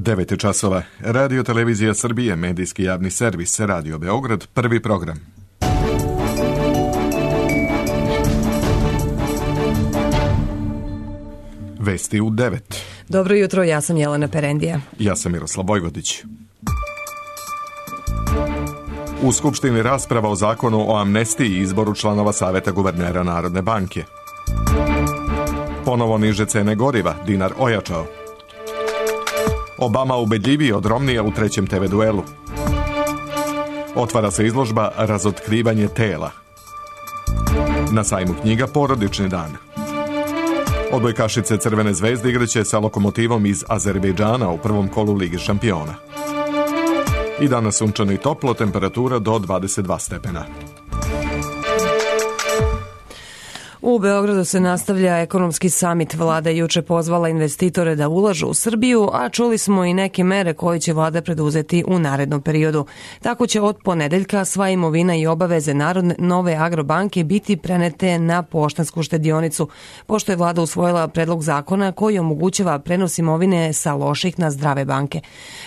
9 časova. Radio Televizija Srbije, medijski javni servis, Radio Beograd, prvi program. Vesti u 9. Dobro jutro, ja sam Jelena Perendija. Ja sam Miroslav Vojvodić. U Skupštini rasprava o zakonu o amnestiji i izboru članova Saveta guvernera Narodne banke. Ponovo niže cene goriva, dinar ojačao. Obama ubedljiviji od Romnija u trećem TV duelu. Otvara se izložba Razotkrivanje tela. Na sajmu knjiga Porodični dan. Odbojkašice Crvene zvezde igraće sa Lokomotivom iz Azerbejdžana u prvom kolu Lige šampiona. I danas sunčano i toplo, temperatura do 22 stepena. U Beogradu se nastavlja ekonomski samit. Vlada je juče pozvala investitore da ulažu u Srbiju, a čuli smo i neke mere koje će vlada preduzeti u narednom periodu. Tako će od ponedeljka sva imovina i obaveze nove Agrobanke biti prenete na poštansku štedionicu, pošto je vlada usvojila predlog zakona koji omogućava prenos imovine sa loših na zdrave banke.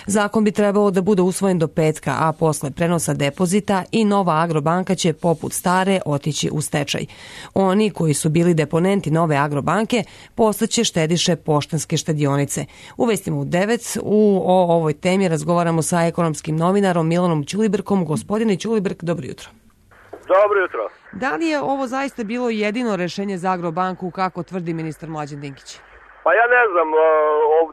Zakon bi trebao da bude usvojen do petka, a posle prenosa depozita i nova Agrobanka će poput stare otići u stečaj. Oni koji su bili deponenti nove Agrobanke postaće štediše poštanske štedionice. U vestima u 9 o ovoj temi razgovaramo sa ekonomskim novinarom Milanom Ćulibrkom. Gospodine Ćulibrk, dobro jutro. Dobro jutro. Da li je ovo zaista bilo jedino rešenje za Agrobanku, kako tvrdi ministar Mlađan Dinkić? Pa ja ne znam,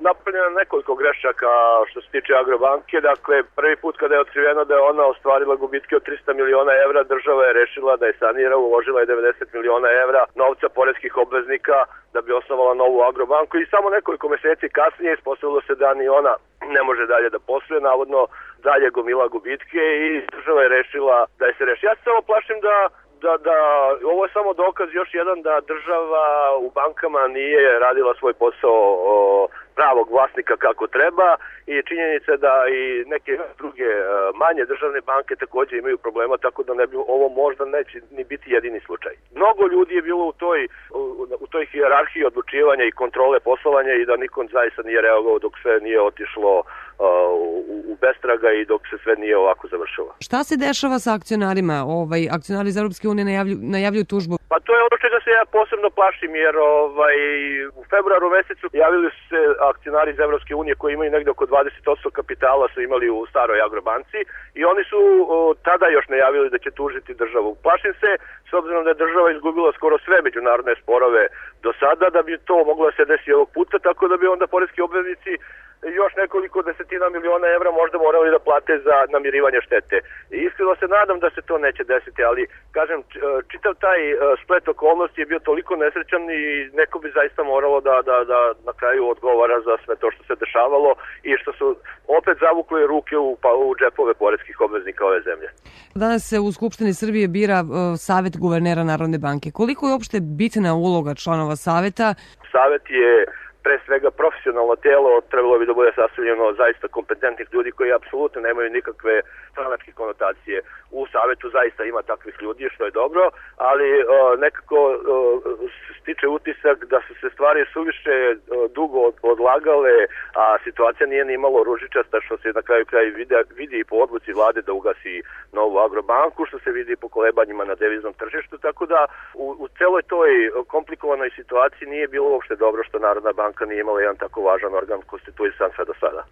napravljeno nekoliko grešaka što se tiče Agrobanke. Dakle, prvi put kada je otkriveno da je ona ostvarila gubitke od 300 miliona evra, država je rešila da je sanira, uložila je 90 miliona evra novca poreskih obveznika da bi osnovala novu Agrobanku i samo nekoliko meseci kasnije ispostavilo se da ni ona ne može dalje da posluje, navodno dalje gomila gubitke i država je rešila da je se reši. Ja se samo plašim da ovo je samo dokaz još jedan da država u bankama nije radila svoj posao pravog vlasnika kako treba i činjenica da i neke druge manje državne banke također imaju problema, tako da ne bi ovo možda neće ni biti jedini slučaj. Mnogo ljudi je bilo u toj hijerarhiji odlučivanja i kontrole poslovanja i da nikom zaista nije reagovao dok sve nije otišlo u bestraga i dok se sve nije ovako završilo. Šta se dešava sa akcionarima? Akcionari iz Europske unije najavljuju tužbu. Pa to je ono čega se ja posebno plašim, jer u februaru mesecu javili su se akcionari iz Evropske unije koji imaju negde oko 20% kapitala su imali u staroj Agrobanci i oni su tada još najavili da će tužiti državu. Plašim se, s obzirom da je država izgubila skoro sve međunarodne sporove do sada, da bi to moglo da se desi ovog puta, tako da bi onda poreski obveznici još nekoliko desetina miliona evra možda morali da plate za namirivanje štete. I iskreno se nadam da se to neće desiti, ali kažem, čitav taj splet okolnosti je bio toliko nesrećan i neko bi zaista moralo da na kraju odgovara za sve to što se dešavalo i što su opet zavukli ruke u džepove poreskih obveznika ove zemlje. Danas se u Skupštini Srbije bira Savet guvernera Narodne banke. Koliko je uopšte bitna uloga članova Saveta? Savet je pre svega profesionalno telo, trebalo bi da bude sastavljeno zaista kompetentnih ljudi koji apsolutno nemaju nikakve stranačke konotacije. U Savetu zaista ima takvih ljudi, što je dobro, ali nekako stiče utisak da su se stvari suviše dugo odlagale, a situacija nije ni malo ružičasta, što se na kraju vidi i po odluci vlade da ugasi novu Agrobanku, što se vidi po kolebanjima na deviznom tržištu, tako da u celoj toj komplikovanoj situaciji nije bilo uopšte dobro što Narodna banka nije imala jedan tako važan organ konstituisan sve do sada.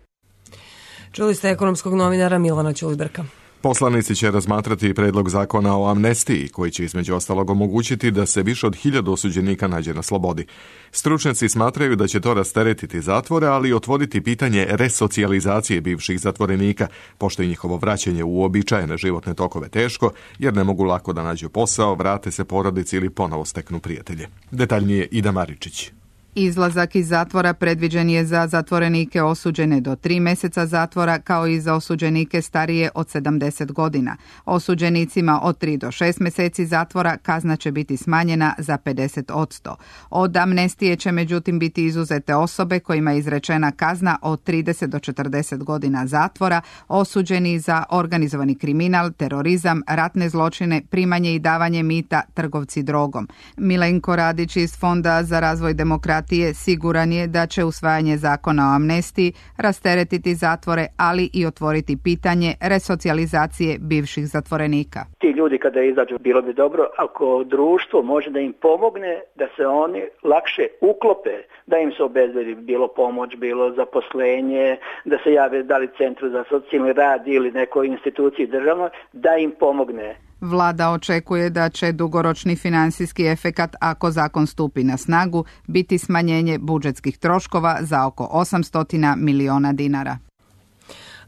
Čuli ste ekonomskog novinara Milana Ćulibrka. Poslanici će razmatrati predlog zakona o amnestiji, koji će između ostalog omogućiti da se više od 1000 osuđenika nađe na slobodi. Stručnjaci smatraju da će to rasteretiti zatvore, ali i otvoriti pitanje resocijalizacije bivših zatvorenika, pošto je njihovo vraćanje u uobičajene životne tokove teško, jer ne mogu lako da nađu posao, vrate se porodici ili ponovo steknu prijatelje. Detaljnije Ida Maričić. Izlazak iz zatvora predviđen je za zatvorenike osuđene do 3 meseca zatvora, kao i za osuđenike starije od 70 godina. Osuđenicima od 3 do 6 meseci zatvora kazna će biti smanjena za 50%. Od amnestije će međutim biti izuzete osobe kojima je izrečena kazna od 30 do 40 godina zatvora, osuđeni za organizovani kriminal, terorizam, ratne zločine, primanje i davanje mita, trgovci drogom. Milenko Radić iz Fonda za razvoj demokratije partije siguran je da će usvajanje zakona o amnestiji rasteretiti zatvore, ali i otvoriti pitanje resocijalizacije bivših zatvorenika. Ti ljudi kada izađu, bilo bi dobro ako društvo može da im pomogne da se oni lakše uklope, da im se obezbedi bilo pomoć, bilo zaposlenje, da se jave da li centru za socijalni rad ili nekoj instituciji državnoj, da im pomogne. Vlada očekuje da će dugoročni finansijski efekat, ako zakon stupi na snagu, biti smanjenje budžetskih troškova za oko 800 miliona dinara.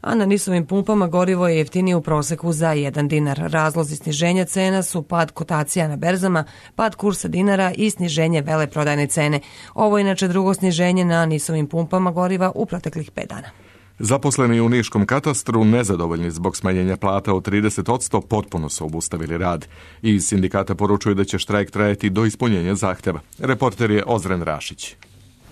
A na nisovim pumpama gorivo je jeftinije u proseku za 1 dinar. Razlozi sniženja cena su pad kotacija na berzama, pad kursa dinara i sniženje veleprodajne cene. Ovo je inače drugo sniženje na nisovim pumpama goriva u proteklih 5 dana. Zaposleni u niškom katastru, nezadovoljni zbog smanjenja plata od 30%, potpuno su obustavili rad. Iz sindikata poručuju da će štrajk trajati do ispunjenja zahtjeva. Reporter je Ozren Rašić.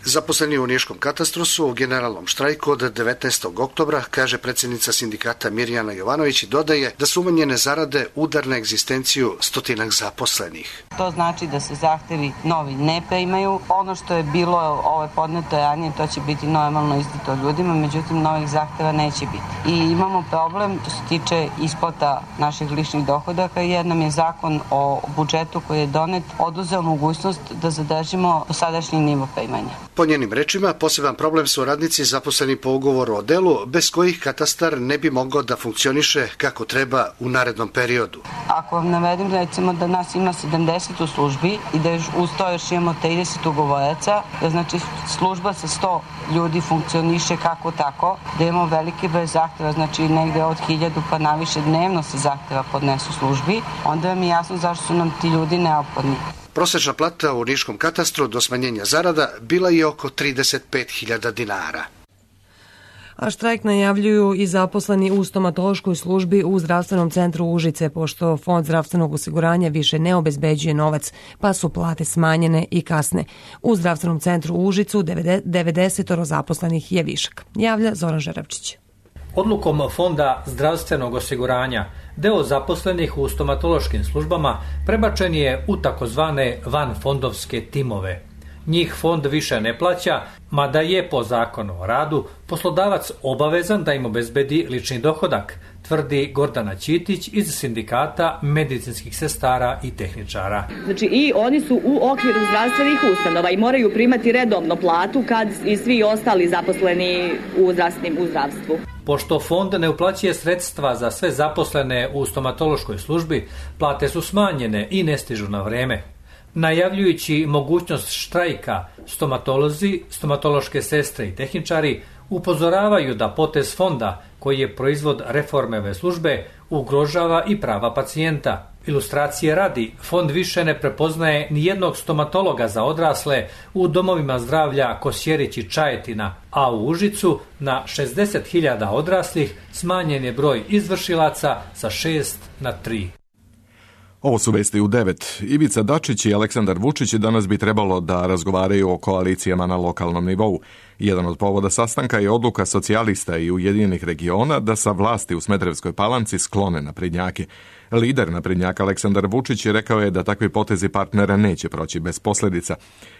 Zaposleni u niškom katastru su u generalnom štrajku od 19. oktobra, kaže predsjednica sindikata Mirjana Jovanović i dodaje da su umanjene zarade udar na egzistenciju stotinak zaposlenih. To znači da se zahtevi novi ne primaju. Ono što je bilo podneto ranije, to će biti normalno izdato ljudima, međutim novih zahteva neće biti. I imamo problem što se tiče isplata naših ličnih dohodaka jer nam je zakon o budžetu koji je donet oduzeo mogućnost da zadržimo dosadašnji nivo primanja. Po njenim rečima, poseban problem su radnici zaposleni po ugovoru o delu, bez kojih katastar ne bi mogao da funkcioniše kako treba u narednom periodu. Ako vam navedim, recimo da nas ima 70 u službi i da uz to još imamo 30 ugovoraca, da znači služba sa 100 ljudi funkcioniše kako tako, da imamo veliki broj zahteva, znači negde od 1000 pa naviše dnevno se zahteva podnesu službi, onda vam je jasno zašto su nam ti ljudi neophodni. Prosječna plata u niškom katastru do smanjenja zarada bila je oko 35.000 dinara. A štrajk najavljuju i zaposleni u stomatološkoj službi u zdravstvenom centru Užice, pošto Fond zdravstvenog osiguranja više ne obezbeđuje novac, pa su plate smanjene i kasne. U zdravstvenom centru Užicu 90 zaposlenih je višak. Javlja Zoran Žeravčić. Odlukom Fonda zdravstvenog osiguranja deo zaposlenih u stomatološkim službama prebačen je u takozvane vanfondovske timove. Njih fond više ne plaća, mada je po zakonu o radu poslodavac obavezan da im obezbedi lični dohodak, tvrdi Gordana Ćitić iz sindikata medicinskih sestara i tehničara. Znači i oni su u okviru zdravstvenih ustanova i moraju primati redovno platu kad i svi ostali zaposleni u zdravstvu. Pošto fond ne uplaćuje sredstva za sve zaposlene u stomatološkoj službi, plate su smanjene i ne stižu na vreme. Najavljujući mogućnost štrajka, stomatolozi, stomatološke sestre i tehničari upozoravaju da potez fonda, koji je proizvod reforme ove službe, ugrožava i prava pacijenta. Ilustracije radi, fond više ne prepoznaje ni jednog stomatologa za odrasle u domovima zdravlja Kosjerić i Čajetina, a u Užicu na 60.000 odraslih smanjen je broj izvršilaca sa 6 na 3. Ovo su vesti u 9. Ivica Dačić i Aleksandar Vučić danas bi trebalo da razgovaraju o koalicijama na lokalnom nivou. Jedan od povoda sastanka je odluka socijalista i Ujedinjenih regiona da sa vlasti u Smederevskoj Palanci sklone naprednjake. Lider naprednjaka Aleksandar Vučić rekao je da takvi potezi partnera neće proći bez posljedica.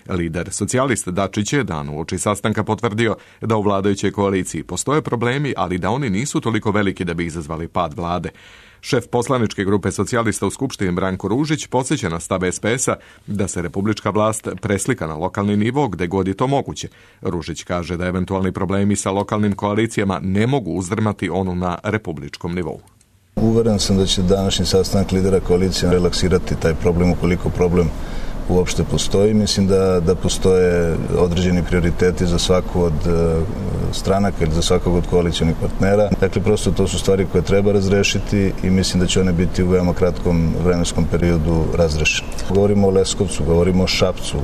Lider socijalista Dačić je dan uoči sastanka potvrdio da u vladajućoj koaliciji postoje problemi, ali da oni nisu toliko veliki da bi izazvali pad vlade. Šef poslaničke grupe socijalista u Skupštini Branko Ružić podsjeća na stav SPS-a da se republička vlast preslika na lokalni nivo gde god je to moguće. Ružić kaže da eventualni problemi sa lokalnim koalicijama ne mogu uzdrmati onu na republičkom nivou. Uveren sam da će današnji sastanak lidera koalicije relaksirati taj problem ukoliko problem uopšte postoji. Mislim da postoje određeni prioriteti za svaku od stranaka ili za svakog od koalicionih partnera. Dakle, prosto to su stvari koje treba razrešiti i mislim da će one biti u veoma kratkom vremenskom periodu razrešene. Govorimo o Leskovcu, govorimo o Šapcu,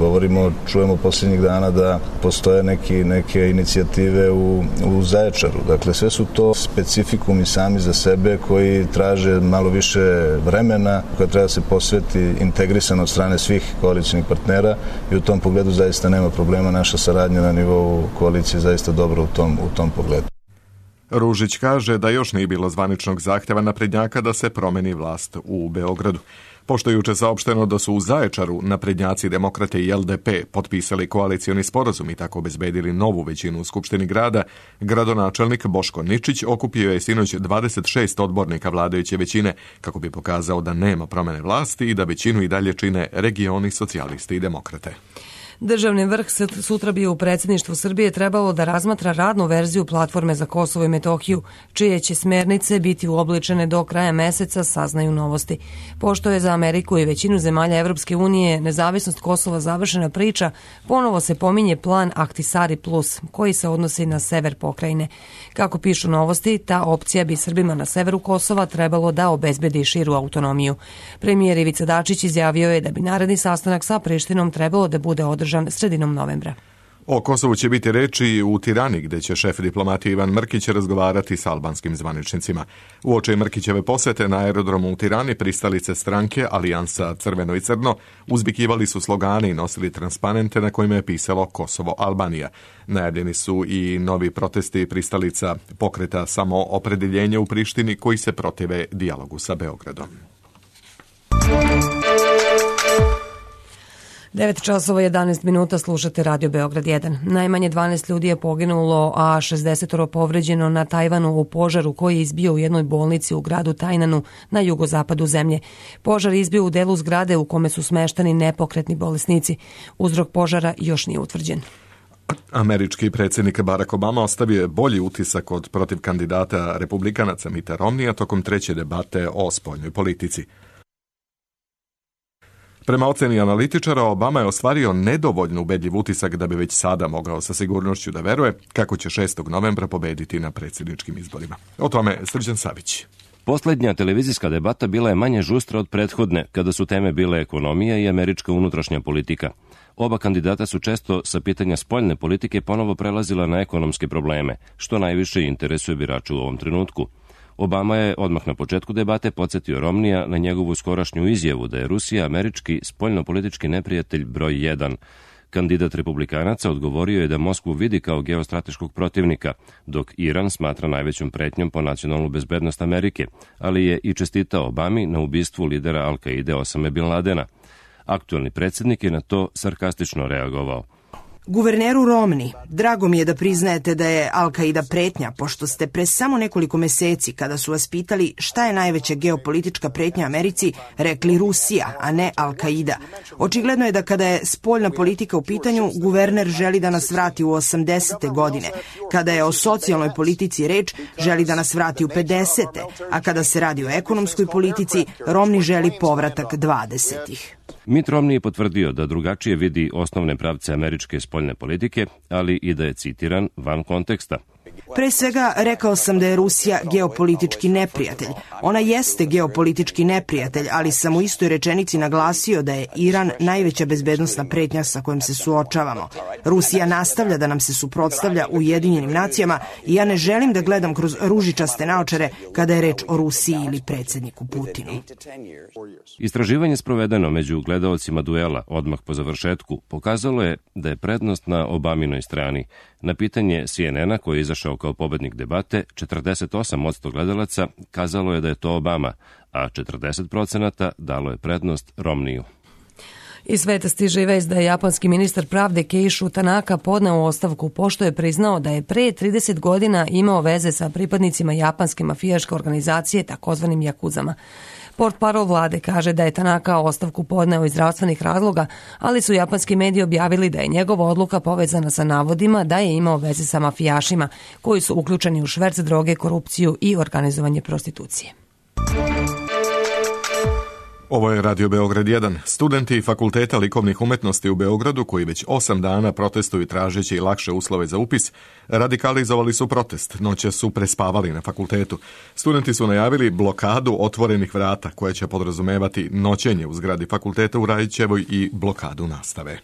čujemo posljednjih dana da postoje neke inicijative u Zaječaru. Dakle, sve su to specifikumi sami za sebe koji traže malo više vremena, koje treba da se posveti integrisano od strane svih koalicijnih partnera i u tom pogledu zaista nema problema. Naša saradnja na nivou koalicije zaista dobro u tom pogledu. Ružić kaže da još nije bilo zvaničnog zahtjeva naprednjaka da se promeni vlast u Beogradu. Pošto je juče saopšteno da su u Zaječaru naprednjaci, demokrate i LDP potpisali koalicioni sporazum i tako obezbedili novu većinu u Skupštini grada, gradonačelnik Boško Ničić okupio je sinoć 26 odbornika vladajuće većine kako bi pokazao da nema promene vlasti i da većinu i dalje čine regioni, socijalisti i demokrate. Državni vrh sutra bi u predsjedništvu Srbije trebalo da razmatra radnu verziju platforme za Kosovo i Metohiju, čije će smernice biti uobličene do kraja meseca, saznaju Novosti. Pošto je za Ameriku i većinu zemalja Evropske unije nezavisnost Kosova završena priča, ponovo se pominje plan Ahtisaari Plus, koji se odnosi na sever pokrajine. Kako pišu Novosti, ta opcija bi Srbima na severu Kosova trebalo da obezbedi širu autonomiju. Premijer Ivica Dačić izjavio je da bi naredni sastanak sa Prištinom trebalo da bude održan sredinom novembra. O Kosovu će biti reči u Tirani, gde će šef diplomatije Ivan Mrkić razgovarati sa albanskim zvaničnicima. Uoči Mrkićeve posete na aerodromu u Tirani pristalice stranke Alijansa Crveno i Crno uzvikivali su slogane i nosili transparente na kojima je pisalo Kosovo Albanija. Najavljeni su i novi protesti pristalica pokreta Samoopredeljenje u Prištini koji se protive dijalogu sa Beogradom. 9 časova 11 minuta, slušate Radio Beograd 1. Najmanje 12 ljudi je poginulo, a 60 povređeno na Tajvanu u požaru koji je izbio u jednoj bolnici u gradu Tajnanu na jugozapadu zemlje. Požar je izbio u delu zgrade u kome su smeštani nepokretni bolesnici. Uzrok požara još nije utvrđen. Američki predsjednik Barack Obama ostavio je bolji utisak od protiv kandidata republikanaca Mitta Romneya tokom treće debate o spoljnoj politici. Prema oceni analitičara, Obama je ostvario nedovoljno ubedljiv utisak da bi već sada mogao sa sigurnošću da veruje kako će 6. novembra pobediti na predsjedničkim izborima. O tome Srđan Savić. Poslednja televizijska debata bila je manje žustra od prethodne, kada su teme bile ekonomija i američka unutrašnja politika. Oba kandidata su često sa pitanja spoljne politike ponovo prelazila na ekonomske probleme, što najviše interesuje birača u ovom trenutku. Obama je odmah na početku debate podsjetio Romneya na njegovu skorašnju izjavu da je Rusija američki spoljnopolitički neprijatelj broj 1. Kandidat republikanaca odgovorio je da Moskvu vidi kao geostrateškog protivnika, dok Iran smatra najvećom pretnjom po nacionalnu bezbednost Amerike, ali je i čestitao Obami na ubistvu lidera Al-Kaide Osame Bin Ladena. Aktuelni predsjednik je na to sarkastično reagovao. Guverneru Romney, drago mi je da priznajete da je Al-Kaida pretnja, pošto ste pre samo nekoliko meseci, kada su vas pitali šta je najveća geopolitička pretnja Americi, rekli Rusija, a ne Al-Kaida. Očigledno je da kada je spoljna politika u pitanju, guverner želi da nas vrati u 80. godine. Kada je o socijalnoj politici reč, želi da nas vrati u 50. A kada se radi o ekonomskoj politici, Romney želi povratak 20. Mitt Romney je potvrdio da drugačije vidi osnovne pravce američke spoljne politike, ali i da je citiran van konteksta. Pre svega, rekao sam da je Rusija geopolitički neprijatelj. Ona jeste geopolitički neprijatelj, ali sam u istoj rečenici naglasio da je Iran najveća bezbednosna pretnja sa kojom se suočavamo. Rusija nastavlja da nam se suprotstavlja u Ujedinjenim nacijama i ja ne želim da gledam kroz ružičaste naočare kada je reč o Rusiji ili predsjedniku Putinu. Istraživanje sprovedeno među gledaocima duela odmah po završetku pokazalo je da je prednost na Obaminoj strani. Na pitanje CNN-a koji je izašao kao pobednik debate, 48% gledalaca kazalo je da je to Obama, a 40% dalo je prednost Romneyu. Iz sveta stiže vest da je japanski ministar pravde Keishu Tanaka podneo ostavku pošto je priznao da je pre 30 godina imao veze sa pripadnicima japanske mafijaške organizacije, takozvanim jakuzama. Portparol vlade kaže da je Tanaka ostavku podneo iz zdravstvenih razloga, ali su japanski mediji objavili da je njegova odluka povezana sa navodima da je imao veze sa mafijašima koji su uključeni u šverc droge, korupciju i organizovanje prostitucije. Ovo je Radio Beograd 1. Studenti Fakulteta likovnih umetnosti u Beogradu, koji već 8 dana protestuju tražeći lakše uslove za upis, radikalizovali su protest. Noće su prespavali na fakultetu. Studenti su najavili blokadu otvorenih vrata, koja će podrazumevati noćenje u zgradi fakulteta u Rajićevoj i blokadu nastave.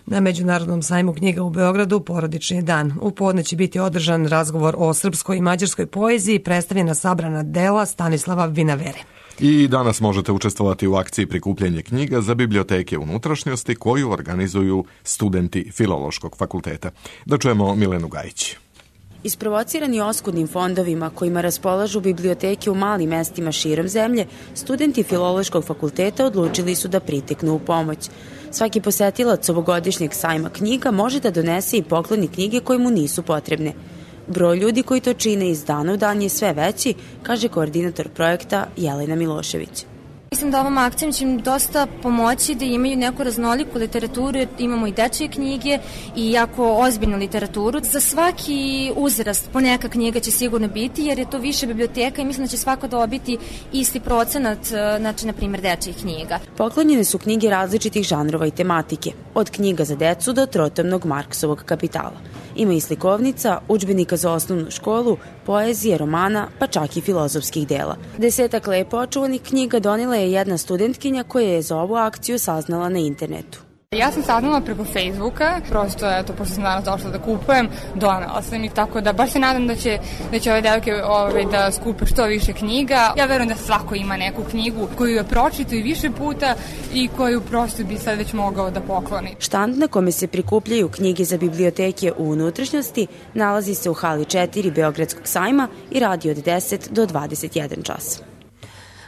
Na Međunarodnom sajmu knjiga u Beogradu porodični dan. U podne će biti održan razgovor o srpskoj i mađarskoj poeziji, predstavljena sabrana dela Stanislava Vinavere. I danas možete učestvovati u akciji prikupljanje knjiga za biblioteke unutrašnjosti koju organizuju studenti Filološkog fakulteta. Da čujemo Milenu Gajić. Isprovocirani oskudnim fondovima kojima raspolažu biblioteke u malim mestima širom zemlje, studenti Filološkog fakulteta odlučili su da priteknu u pomoć. Svaki posetilac ovogodišnjeg sajma knjiga može da donese i pokloni knjige koje mu nisu potrebne. Broj ljudi koji to čine iz dana u dan je sve veći, kaže koordinator projekta Jelena Milošević. Mislim da ovom akcijom će im dosta pomoći da imaju neku raznoliku literaturu, imamo i dečje knjige i jako ozbiljnu literaturu. Za svaki uzrast po neka knjiga će sigurno biti, jer je to više biblioteka i mislim da će svako dobiti isti procenat, znači na primjer dečjih knjiga. Poklonjene su knjige različitih žanrova i tematike, od knjiga za decu do trotomnog Marksovog Kapitala. Ima i slikovnica, udžbenika za osnovnu školu, poezije, romana, pa čak i filozofskih dela. 10 lepo očuvanih knjiga donela je jedna studentkinja koja je za ovu akciju saznala na internetu. Ja sam saznala preko Facebooka, prosto, pošto sam danas došla da kupujem, donela sam ih, tako da baš se nadam da će ove devojke da skupe što više knjiga. Ja verujem da svako ima neku knjigu koju je pročitao i više puta i koju prosto bi sad već mogao da pokloni. Štand na kome se prikupljaju knjige za biblioteke u unutrašnjosti nalazi se u hali 4 Beogradskog sajma i radi od 10 do 21 čas.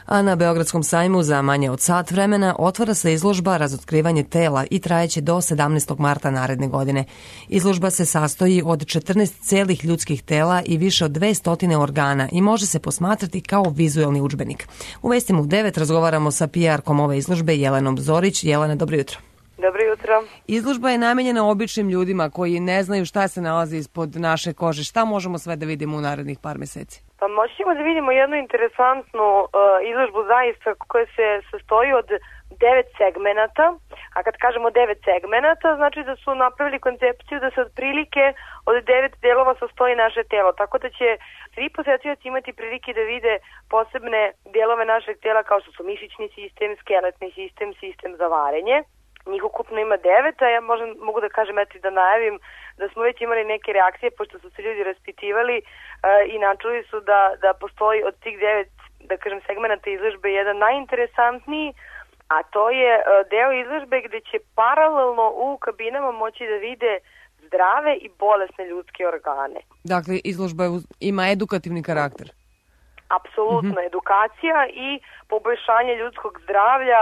A na Beogradskom sajmu za manje od sat vremena otvara se izložba Razotkrivanje tela i trajeće do 17. marta naredne godine. Izložba se sastoji od 14 celih ljudskih tela i više od 200 organa i može se posmatrati kao vizuelni udžbenik. U vestima u 9 razgovaramo sa PR-kom ove izložbe Jelenom Zorić. Jelena, dobro jutro. Dobro jutro. Izložba je namenjena običnim ljudima koji ne znaju šta se nalazi ispod naše kože. Šta možemo sve da vidimo u narednih par meseci? Pa možemo da vidimo jednu interesantnu izložbu zaista koja se sastoji od 9 segmenata, a kad kažemo 9 segmenata, znači da su napravili koncepciju da se otprilike od 9 delova sastoji naše telo, tako da će svi posetioci imati prilike da vide posebne delove našeg tela kao što su mišićni sistem, skeletni sistem, sistem za varenje. Njih ukupno ima 9, a ja mogu da kažem i da najavim da smo već imali neke reakcije pošto su se ljudi raspitivali i načuli su da postoji od tih 9, da kažem, segmenata izložbe jedan najinteresantniji, a to je deo izložbe gde će paralelno u kabinama moći da vide zdrave i bolesne ljudske organe. Dakle, izložba ima edukativni karakter. Apsolutno, edukacija i poboljšanje ljudskog zdravlja.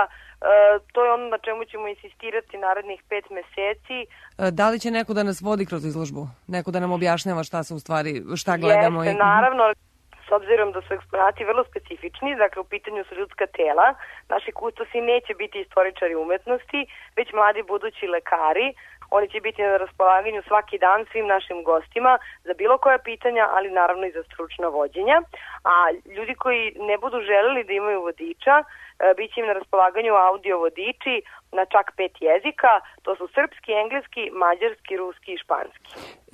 To je ono na čemu ćemo insistirati narednih 5 meseci. Da li će neko da nas vodi kroz izložbu? Neko da nam objašnjava šta gledamo? Jeste, naravno, s obzirom da su eksponati vrlo specifični, dakle u pitanju su ljudska tela, naši kustosi neće biti istoričari umetnosti, već mladi budući lekari. Oni će biti na raspolaganju svaki dan svim našim gostima za bilo koja pitanja, ali naravno i za stručna vođenja. A ljudi koji ne budu želeli da imaju vodiča, bit će im na raspolaganju audio vodiči na čak 5 jezika. To su srpski, engleski, mađarski, ruski i španski.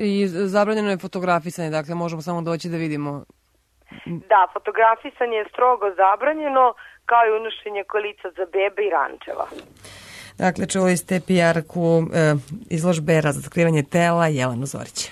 I zabranjeno je fotografisanje, dakle možemo samo doći da vidimo. Da, fotografisanje je strogo zabranjeno, kao i unošenje kolica za bebe i rančeva. Dakle, čuli ste PR-ku izložbe Razotkrivanje tela Jelenu Zorić.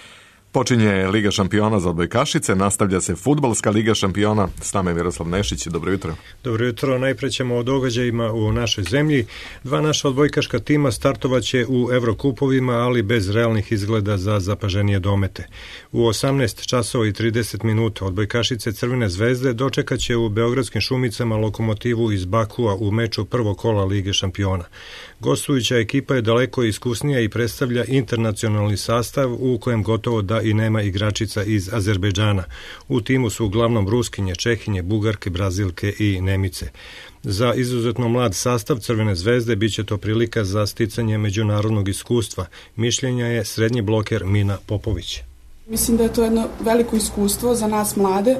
Počinje Liga šampiona za odbojkašice, nastavlja se fudbalska Liga šampiona. S nama je Miroslav Nešić, dobro jutro. Dobro jutro, najpre ćemo o događajima u našoj zemlji. 2 naša odbojkaška tima startovaće u Evrokupovima, ali bez realnih izgleda za zapaženije domete. U 18 časova i 30 minuta odbojkašice Crvene zvezde dočekaće u Beogradskim Šumicama Lokomotivu iz Bakua u meču prvog kola Lige šampiona. Gostujuća ekipa je daleko iskusnija i predstavlja internacionalni sastav u kojem gotovo da i nema igračica iz Azerbejdžana. U timu su uglavnom Ruskinje, Čehinje, Bugarke, Brazilke i Nemice. Za izuzetno mlad sastav Crvene zvezde biće to prilika za sticanje međunarodnog iskustva. Mišljenja je srednji bloker Mina Popović. Mislim da je to jedno veliko iskustvo za nas mlade,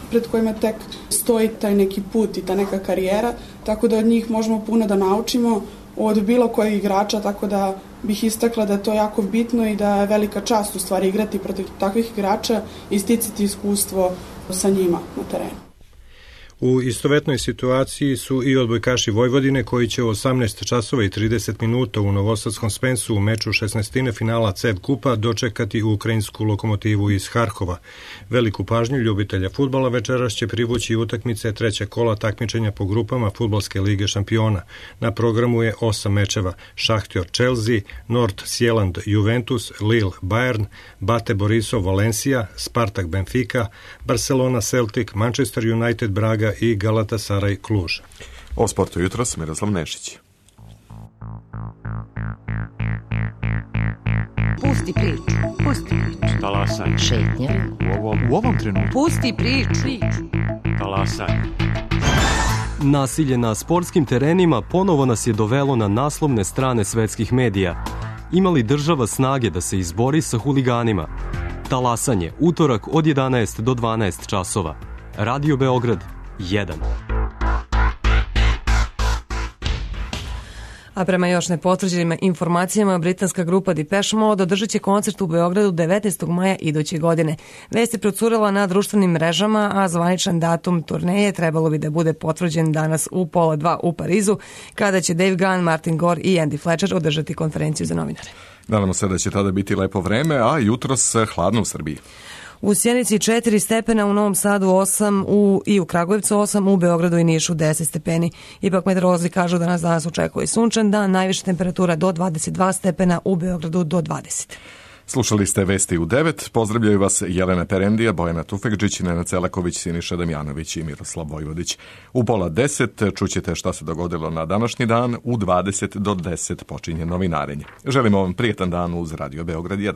pred kojima tek stoji taj neki put i ta neka karijera, tako da od njih možemo puno da naučimo, od bilo kojeg igrača, tako da bih istakla da je to jako bitno i da je velika čast u stvari igrati protiv takvih igrača i sticati iskustvo sa njima na terenu. U istovetnoj situaciji su i odbojkaši Vojvodine koji će u 18 časova i 30 minuta u Novosadskom Spensu u meču 16. finala CEV kupa dočekati ukrajinsku Lokomotivu iz Harkova. Veliku pažnju ljubitelja fudbala večeras će privući utakmice trećeg kola takmičenja po grupama Fudbalske lige šampiona. Na programu je 8 mečeva: Šahtjor Chelsea, North Sjeland Juventus, Lille Bayern, Bate Borisov Valencia, Spartak Benfica, Barcelona Celtic, Manchester United Braga i Galatasaray Kluž. O sportu jutros Miroslav Nešić. Pusti priču. Pusti priču. Talasaj. Šetnja. U ovom trenutku. Pusti priču. Talasaj. Nasilje na sportskim terenima ponovo nas je dovelo na naslovne strane svetskih medija. Ima li država snage da se izbori sa huliganima? Talasanje, utorak od 11 do 12 časova. Radio Beograd 1. A prema još nepotvrđenim informacijama, britanska grupa Depeche Mode održat će koncert u Beogradu 19. maja iduće godine. Vest je procurela na društvenim mrežama, a zvaničan datum turneje trebalo bi da bude potvrđen danas u 1:30 u Parizu, kada će Dave Gunn, Martin Gore i Andy Fletcher održati konferenciju za novinare. Nadamo se da će tada biti lepo vreme, a jutros hladno u Srbiji. U Sjenici 4 stepena, u Novom Sadu 8 i u Kragujevcu 8, u Beogradu i Nišu 10 stepeni. Ipak meteorolozi kažu da nas danas očekuje sunčan dan, najviša temperatura do 22 stepena, u Beogradu do 20. Slušali ste Vesti u 9. Pozdravljaju vas Jelena Perendija, Bojana Tufekđić, Nenad Celaković, Siniša Damjanović i Miroslav Vojvodić. U 9:30 čućete šta se dogodilo na današnji dan. U 20 do 10 počinje novinarenje. Želimo vam prijetan dan uz Radio Beograd 1.